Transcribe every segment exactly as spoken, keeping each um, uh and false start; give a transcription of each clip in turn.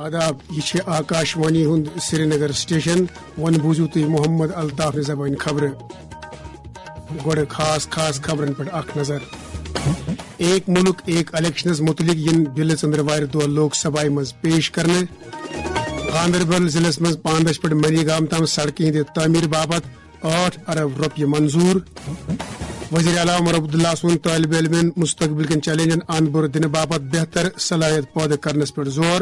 آداب، یہِ چھِ آکاش وانی ہُنٛد سرینگر سٹیشن۔ وۄنۍ بوٗزِو تُہۍ محمد الطاف نہِ زبٲنۍ خبرٕ۔ گۄڈٕ خاص خاص خبرن پٮ۪ٹھ اکھ نظر۔ ایک ملک ایک الیکشنس متعلق یِن بلہٕ ژٔنٛدٕروارِ دۄہ لوک سبھایہِ منٛز پیش کرنہٕ۔ گاندربل ضلعس منٛز پاندش پٮ۪ٹھ منی گام تام سڑکہِ ہٕنٛدِ تعمیٖر باپتھ ٲٹھ ارب رۄپیہِ منظوٗر۔ وزیر اعلیٰ عمر عبداللہ سُنٛد طٲلبہِ علمن مستقبل کٮ۪ن چیلنجن اند برٛونٛہہ دِنہٕ باپتھ بہتر صلٲحیت پٲدٕ کرنس پٮ۪ٹھ زور۔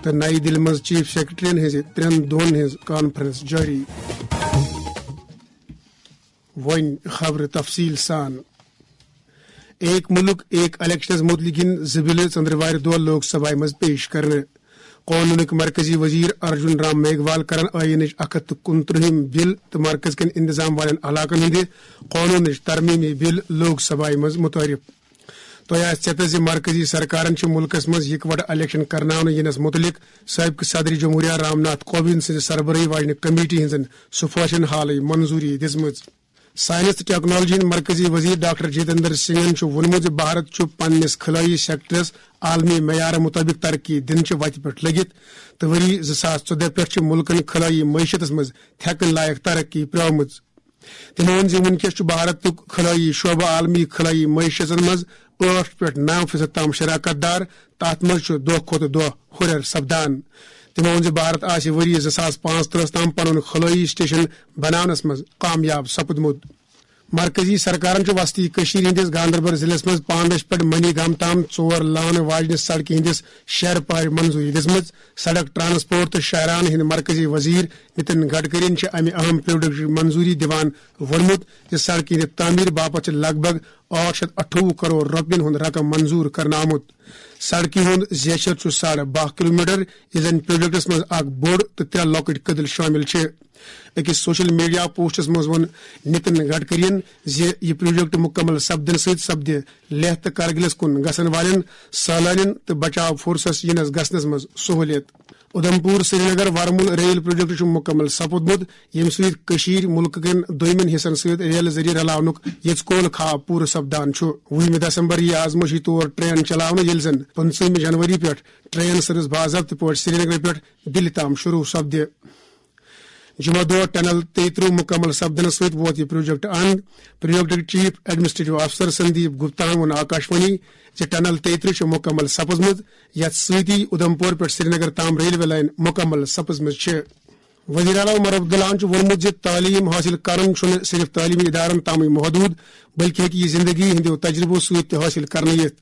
تہٕ نَیہِ دِلہِ منٛز چیف سیکرٹریَن ہٕنٛزِ ترٛٮ۪ن دۄہَن ہٕنٛز کانفرنس جٲری۔ وۄنۍ خبرٕ تفصیٖل سان۔ ایک ملک ایک الیکشنس متعلق یِن زٕ بلہٕ ژٔنٛدٕروارِ دۄہ لوک سبھایہِ منٛز پیش کرنہٕ۔ قونوٗنٕکۍ مرکزی وزیر ارجن رام میگھوال کرن ٲیٖنٕچ اکھ ہتھ تہٕ کُنترٛہِم بل تہٕ مرکز کٮ۪ن انتظام والٮ۪ن علاقن ہٕنٛدِ قونوٗنٕچ ترمیٖمی بل لوک سبھایہِ منٛز متعارف۔ تۄہہِ آسہِ ژیتس زِ مرکزی سرکارن چھِ مُلکس منٛز یِکوٹہٕ الیکشن کرناونہٕ یِنس مُتعلق سٲبقہٕ صدر جمہوریہ رام ناتھ کووند سٕنٛزِ سربرٲہی واجنہِ کمیٹی ہٕنٛزن سفارشن حالٕے منظوٗری دِژمٕژ۔ ساینس تہٕ ٹیکنالوجی ہٕنٛدۍ مرکزی وزیر ڈاکٹر جتیندر سنگھن چھُ ووٚنمُت زِ بھارت چھُ پننِس خلٲیی سیکٹرس عالمی معیارٕ مُطٲبِق ترقی دِنہٕ چہِ وتہِ پٮ۪ٹھ لٔگِتھ تہٕ ؤری زٕ ساس ژۄدہ پٮ۪ٹھ چھِ مُلکن خلٲیی معیشتس منٛز تھٮ۪کٕنۍ لایق ترقی پرٛٲومٕژ۔ تٔمۍ ووٚن زِ وُنکیٚس چھُ بھارتُک خلٲیی شعبہٕ عالمی خلٲیی معیشتن منٛز ٲٹھ پٮ۪ٹھ نَو فیصد تام شراکت دار تہٕ اتھ منٛز چھُ دۄہ کھۄتہٕ دۄہ ہُرٮ۪ر سپدان۔ تٔمۍ ووٚن زِ بھارت آسہِ ؤری زٕ ساس پانٛژترٕہس تام پنُن خلٲیی سٹیشن بناونس منٛز کامیاب سپُدمُت۔ مرکزی سرکارن چھُ وسطی کٔشیٖر ہٕنٛدِس گاندربل ضلعس منٛز پانڈش پٮ۪ٹھ منی گام تام ژور لانہٕ واجنہِ سڑکہِ ہٕنٛدِس شیرٕ پارِ منظوٗری دِژمٕژ۔ سڑک، ٹرانسپورٹ تہٕ شاہراہن ہٕنٛدۍ مرکزی وزیر نتن گڈکرین چھِ امہِ اہم پروجیکٹٕچ منظوٗری دِوان ووٚنمُت زِ سڑکہِ ہٕنٛدِ تعمیٖر باپتھ چھِ لگ بھگ ٲٹھ شیٚتھ اَٹھووُہ کرور رۄپین ہُنٛد رقم منظوٗر کرنہٕ آمُت۔ سڑکہِ ہُنٛد زیچھر چھُ ساڑٕ باہ کلومیٹر، یُس زن پروجیکٹس منٛز اکھ بوٚڑ تہٕ ترٛےٚ لۄکٕٹۍ کٔدٕل شٲمِل چھِ۔ أکِس سوشل میڈیا پوسٹس منٛز ووٚن نتن گڈکرین زِ یہِ پروجیکٹ مُکمل سپدنہٕ سۭتۍ سپدِ لیہہ تہٕ کرگلس کُن گژھن والٮ۪ن سٲلٲنٮ۪ن تہٕ بچاو فورسس یِنس گژھنس منٛز سہوٗلیت۔ اُدھمپور سرینگر ورمُل ریل پروجیکٹ چھُ مُکمل سپُدمُت، ییٚمہِ سۭتۍ کٔشیٖر مُلکہٕ کٮ۪ن دوٚیمٮ۪ن حصن سۭتۍ ریلہٕ ذٔریعہٕ رلاونُک یژھ کول خواب پوٗرٕ سپدان چھُ۔ وُہمہِ دسمبر یِیہِ آزمٲیشی طور ٹرین چلاونہٕ، ییٚلہِ زن پٕنٛژٕہمہِ جنوری پٮ۪ٹھ ٹرین سروس باضٲبطہٕ پٲٹھۍ سرینگرٕ پٮ۪ٹھ دِلہِ تام شروع سپدِ۔ جمعہ دۄہ ٹنل تیٚیہِ ترٕٛہ مُکمل سپدنس سۭتۍ ووت یہِ پروجیکٹ اند۔ پروجیکٹٕکۍ چیف ایڈمنسٹریٹو افسر سندیپ گپتاہن ووٚن آکاشوانی زِ ٹنل تیٚیہِ ترٕٛہ چھِ مُکمل سپٕزمٕژ، یتھ سۭتی اُدھمپور پٮ۪ٹھ سرینگر تام ریلوے لائن مُکمل سپٕزمٕژ چھِ۔ وزیر اعلیٰ عمر عبداللہن چھُ ووٚنمُت زِ تعلیم حٲصِل کرُن چھُنہٕ صرف تعلیمی ادارن تامٕے محدوٗد، بلکہِ ہیٚکہِ یہِ زندگی ہٕنٛدیو تجربو سۭتۍ تہِ حٲصِل کرنہٕ یِتھ۔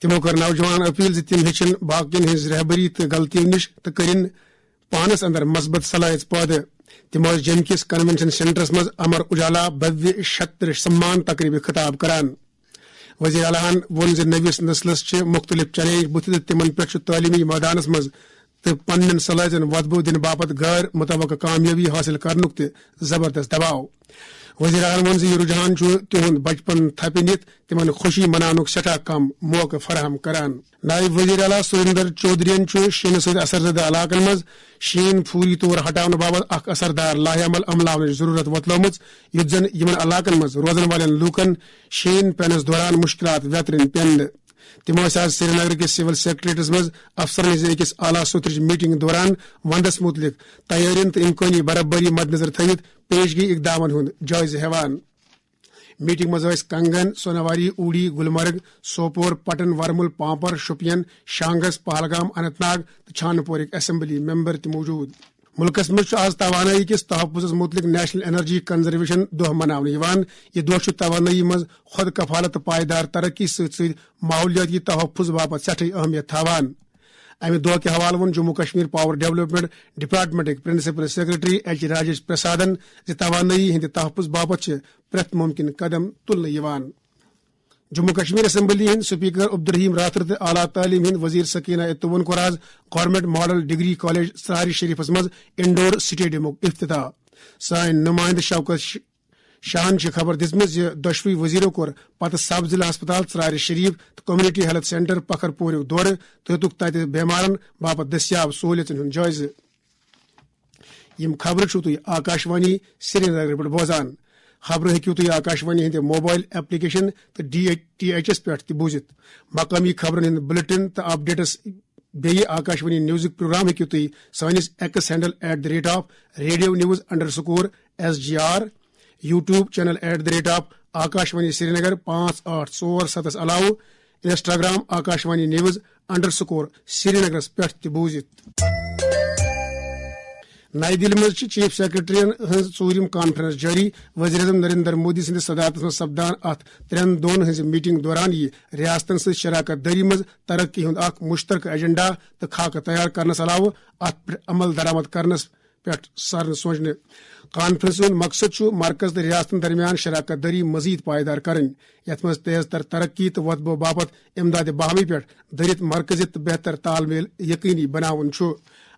تِمو کٔر نوجوانن اپیل زِ تِم ہیٚچھِن باقین ہٕنٛز رہبری تہٕ غلطیو نِش تہٕ کٔرِن پانس اندر مثبت صلٲحیت پٲدٕ۔ تِم ٲسۍ جیٚمہِ کِس کنونشن سینٹرس منٛز امر اجالا بھویہ شتر سمان تقریبہِ خطاب کران۔ وزیر اعلیٰ ہن ووٚن زِ نٔوِس نسلس چھِ مُختٔلِف چیلنج بُتھِ تہٕ تِمن پٮ۪ٹھ چھُ تعلیمی مٲدانس منٛز تہٕ پننٮ۪ن صلٲحیتن وۄتھٕ بوٚو دِنہٕ باپتھ غٲر متوقع کامیٲبی حٲصِل کرنُک تہِ زبردست دباو۔ وزیر اعلیٰ ووٚن زِ یہِ رجحان چھُ تِہُنٛد بچپن تھپہِ نِتھ تِمن خوشی مناونُک سٮ۪ٹھاہ کم موقعہٕ فراہم کران۔ نائب وزیر اعلیٰ سریندر چودھرین چھُ شیٖنہٕ سۭتۍ اثر زدہ علاقن منٛز شیٖن فوری طور ہٹاونہٕ باپتھ اکھ اثردار لائحہ عمل عملاونٕچ ضروٗرت وۄتلٲومٕژ، یُتھ زن یِمن علاقن منٛز روزن والٮ۪ن لوٗکن شیٖن پینس دوران مُشکِلات ویترٕنۍ پٮ۪ن نہٕ۔ تِم ٲسۍ آز سرینگر کِس سول سیکرٹریٹس منٛز افسرن ہٕنٛزِ أکِس اعلیٰ سطحٕچ میٹنگ دوران وندس مُتعلق تیٲرین تہٕ امکٲنی برابری مدنظر تھٲوِتھ پیشگی اقدامن ہُنٛد جٲیزٕ ہٮ۪وان۔ میٹنگ منٛز ٲسۍ کنگن، سوناواری، اوڑی، گلمرگ، سوپور، پٹن، ورمل، پامپر، شوپین، شانگس، پہلگام، اننت ناگ تہٕ چھانہٕ پورٕکۍ اسمبلی ممبر تہِ موجود۔ مُلکس منٛز چھُ آز توانٲیی کِس تحفظس مُتعلق نیشنل انرجی کنزرویشن دۄہ مناونہٕ یِوان۔ یہِ دۄہ چھُ توانٲیی منٛز خۄد کفالت تہٕ پائیدار ترقی سۭتۍ سۭتۍ ماحولیٲتی تحفظ باپتھ سٮ۪ٹھٕے اہمیت تھاوان۔ امہِ دۄہ کہِ حوالہٕ ووٚن جموں کشمیر پاور ڈیولپمنٹ ڈپارٹمنٹٕکۍ پرنسپل سیکرٹری ایچ راجیش پرسادن زِ توانٲیی ہٕنٛدِ تحفظ باپتھ چھِ پرٛٮ۪تھ مُمکِن قدم تُلنہٕ یِوان۔ جموں کشمیر اسمبلی ہٕنٛدۍ سپیکر عبدالرحیم راتھر تہٕ اعلیٰ تعلیٖم ہٕنٛدۍ وزیر سکینہ اتوون کوٚر آز government model degree college Charar شریفس منٛز انڈور سٹیڈیمُک افتتاح۔ سٲنۍ نمائندٕ شوکت ش-، شاہن چھِ خبر دِژمٕژ زِ دۄشوٕے وزیرو کوٚر پتہٕ سب ضلع ہسپتال ژرارِ شریف تہٕ کمیونٹی ہیلتھ سینٹر پکھر پوریُک دورٕ تہٕ ہیوٚتُکھ تتہِ بیمارن باپتھ دٔستیاب سہولیژن ہُنٛد جٲیزٕ۔ یِم خبرٕ چھِو تُہۍ آکاشوانی سرینگر پٮ۪ٹھ بوزان۔ خبرٕ ہیٚکِو تُہۍ آکاشوانی ہٕنٛدِ موبایل ایپلیکیشن تہٕ ڈی ٹی ایچ ایس پٮ۪ٹھ تہِ بوٗزِتھ۔ مقٲمی خبرن ہٕنٛدۍ بلیٹن تہٕ اپڈیٹس بیٚیہِ آکاشوانی نیوزٕکۍ پروگرام ہیٚکِو تُہۍ سٲنِس X handle at the rate of radio news underscore S G R, YouTube channel at the rate of Akashvani Srinagar پانٛژھ ٲٹھ ژور ستس علاوٕ Instagram Akashvani news underscore سرینگرس پٮ۪ٹھ تہِ بوٗزِتھ۔ نَیہِ دِلہِ منٛز چھِ چیف سیکرٹریَن ہٕنٛز ژوٗرِم کانفرنس جٲری۔ وزیر اعظم نریندر مودی سٕنٛدِس صدارتس منٛز سپدان اتھ ترٛٮ۪ن دۄہن ہٕنٛزِ میٹنگ دوران یِیہِ ریاستن سۭتۍ شراکت دٲری منٛز ترقی ہُنٛد اکھ مشترکہ ایجنڈا تہٕ خاکہٕ تیار کرنس علاوٕ اتھ پٮ۪ٹھ عمل درآمد کرنس پٮ۪ٹھ سرنہٕ سوچنہٕ۔ کانفرنسہِ ہُنٛد مقصد چھُ مرکز تہٕ ریاستن درمیان شراکت دٲری مزید پائیدار کرٕنۍ، یتھ منٛز تیز تر ترقی تہٕ وۄتبہٕ باپتھ امداد باہمی پٮ۪ٹھ دٔرِتھ مرکزیت تہٕ بہتر تال میل یقینی بناوُن چھُ۔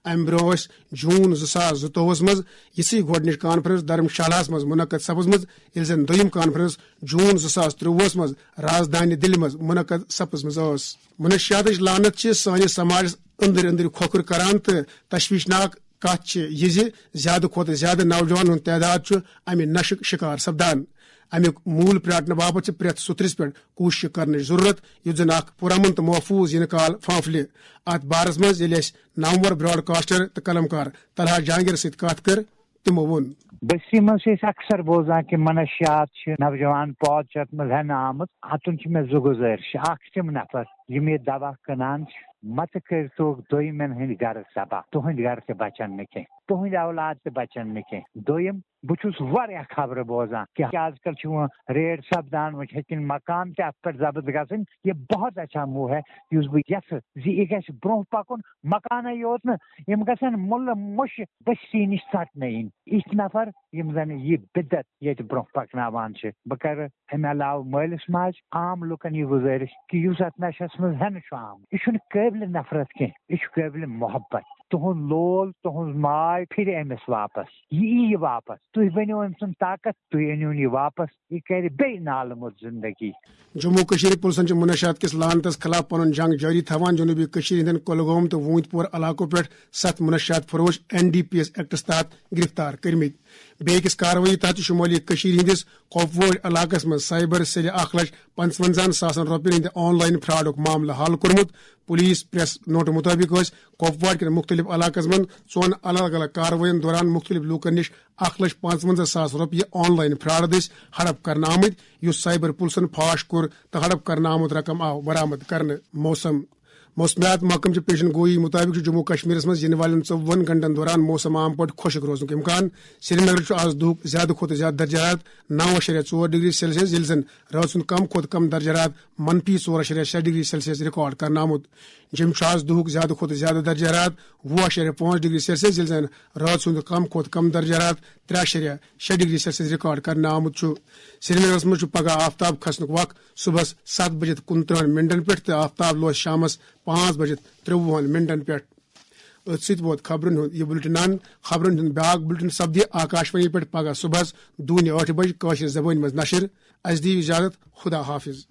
امہِ برٛونٛہہ ٲسۍ جون زٕ ساس زٕتووُہس منٛز یِژھٕے گۄڈٕنِچ کانفرنس دھرم شالاہس منٛز منعقد سپٕزمٕژ، ییٚلہِ زن دوٚیِم کانفرنس جون زٕ ساس ترٛۆوُہس منٛز راجدھانی دِلہِ منٛز منعقد سپٕزمٕژ ٲس۔ منشیاتٕچ لعنت چھِ سٲنِس سماجس أنٛدرۍ أنٛدرۍ کھۄکھُر کران تہٕ تشویشناک کتھ چھِ یہِ زِ زیادٕ کھۄتہٕ زیادٕ نوجوانن ہُنٛد تعداد چھُ امہِ نشہٕ شکار سپدان۔ امیُک موٗل پرٛاٹنہٕ باپتھ چھِ پرٛٮ۪تھ سُترِس پٮ۪ٹھ کوٗشش کرنٕچ ضروٗرت، یُتھ زن اکھ پُرامن تہٕ محفوٗظ یِنہٕ کال پھانٛپھلہِ۔ اتھ بارس منٛز ییٚلہِ اَسہِ نامور براڈکاسٹر تہٕ قلمکار طلحہ جہانگیرس سۭتۍ کتھ کٔر، تِمو ووٚن۔ بستی منٛز چھِ أسۍ اکثر بوزان کہِ منشیات چھِ نوجوان پود چھِ اتھ منٛز ہٮ۪نہٕ آمٕژ۔ اتُن چھِ مےٚ زٕ گُزٲرِش۔ اکھ چھِ تِم نفر یِم یہِ دوا کٕنان چھِ، مہ تہٕ کٔرۍتوکھ دوٚیمٮ۪ن ہٕنٛدۍ گرٕ تباہ، تُہٕنٛدۍ گرٕ تہِ بچن نہٕ کینٛہہ، تُہٕنٛدۍ اولاد تہِ بچن نہٕ کینٛہہ۔ دوٚیِم، بہٕ چھُس واریاہ خبرٕ بوزان کہِ آز کل چھِ وۄنۍ ریڈ سپدان، وۄنۍ چھِ ہیٚتِنۍ مکان تہِ اتھ پٮ۪ٹھ ضبط گژھٕنۍ۔ یہ بہت اچھا موو ہے، یُس بہٕ یژھٕ زِ یہِ گژھِ برونٛہہ پکُن۔ مکانٕے یوت نہٕ، یِم گژھن مُلہٕ مُشہِ بستی نِش ژٹنہٕ یِنۍ۔ یِتھۍ نفر یِم زن یہِ بدعت ییٚتہِ برونٛہہ پکناوان چھِ۔ بہٕ کرٕ امہِ علاوٕ مٲلِس ماجہِ، عام لُکن یہِ گُزٲرِش کہِ یُس اتھ نشس منٛز ہٮ۪نہٕ چھُ آمُت، یہِ چھُنہٕ قٲبلِ نفرت کینٛہہ، یہِ چھُ قٲبلِ محبت۔ تُہُنٛد لول، تُہُنٛز ماے پھرِ أمِس واپس، یہِ یی یہِ واپس۔ تُہۍ بٔنِو أمۍ سُنٛد طاقت، تُہۍ أنِوُن یہِ واپس، یہِ کرِ بیٚیہِ نالہٕ موٚت زندگی۔ جموں و کشمیر پُلسن چھِ منشیات کِس لعنتس خلاف پنُن جنگ جٲری تھاوان۔ جنوبی کشمیر ہٕنٛدٮ۪ن کۄلگوم تہٕ ووٗنتۍ پور علاقو پٮ۪ٹھ ستھ منشیات فروش این ڈی پی ایس ایکٹس تحت گرفتار کٔرمٕتۍ۔ بیٚیہِ أکِس کاروٲیی تحت چھُ شمٲلی کشمیر ہٕنٛدِس کۄپوور علاقس منٛز سائبر سیلہِ اکھ لچھ پنٛژونزاہن ساسن رۄپین ہٕنٛدِ آن لائن فراڈُک معاملہٕ حل کوٚرمُت۔ پولیس پریس نوٹہٕ مُطٲبِق ٲسۍ کۄپوارٕ کٮ۪ن مُختٔلِف علاقن منٛز ژۄن الگ الگ کاروٲیین دوران مُختٔلِف لوٗکن نِش اکھ لچھ پانٛژونزاہ ساس رۄپیہِ آن لائن فراڈ دٔسۍ ہڑپ کرنہٕ آمٕتۍ، یُس سائبر پُلسن فاش کوٚر تہٕ ہڑپ کرنہٕ آمُت رقم آو برآمد کرنہٕ۔ موسم۔ موسمیات محکمہٕ چہِ پیشن گویی مُطٲبِق چھُ جموں و کشمیرس منٛز یِنہٕ والٮ۪ن ژوٚوُہن گھنٹن دوران موسم عام پٲٹھۍ خۄشک روزنُک امکان۔ سرینگر چھُ آز دُہُک زیادٕ کھۄتہٕ زیادٕ درجہ حرارت نو اَشاریہ ژور ڈگری سیلسیس، ییٚلہِ زن رٲژ ہُنٛد کم کھۄتہٕ کم درجہ حرارت منفی ژور اَشاریہ شےٚ ڈگری سیلسیس ریکارڈ کرنہٕ آمُت۔ جوٚم چھُ آز دُہُک زیادٕ کھۄتہٕ زیادٕ درجہ حرارت وُہ اَشاریہ پانٛژھ ڈگری سیلسیس، ییٚلہِ زن رٲژ ہُنٛد کم کھۄتہٕ کم درجہ حرارت ترٛےٚ اَشاریہ شےٚ ڈگری سیلسیس ریکارڈ کرنہٕ آمُت چھُ۔ سرینگرس منٛز چھُ پگہہ آفتاب کھسنُک وق صبحس ستھ بجے تہٕ کُنترٕہن منٹن پٮ۪ٹھ تہٕ آفتاب لوس شامس پانٛژھ بجے ترٛوُہن منٹن پٮ۪ٹھ۔ أتھۍ سۭتۍ ووت خبرن ہُنٛد یہِ بُلٹن اند۔ خبرن ہُنٛد بیاکھ بُلٹن سپدِ آکاشوانی پٮ۪ٹھ پگہہ صبحس دوٗنہِ ٲٹھِ بجہِ کٲشرِ زبٲنۍ منٛز نشر۔ اسہِ دِیِو اجازت، خدا حافظ۔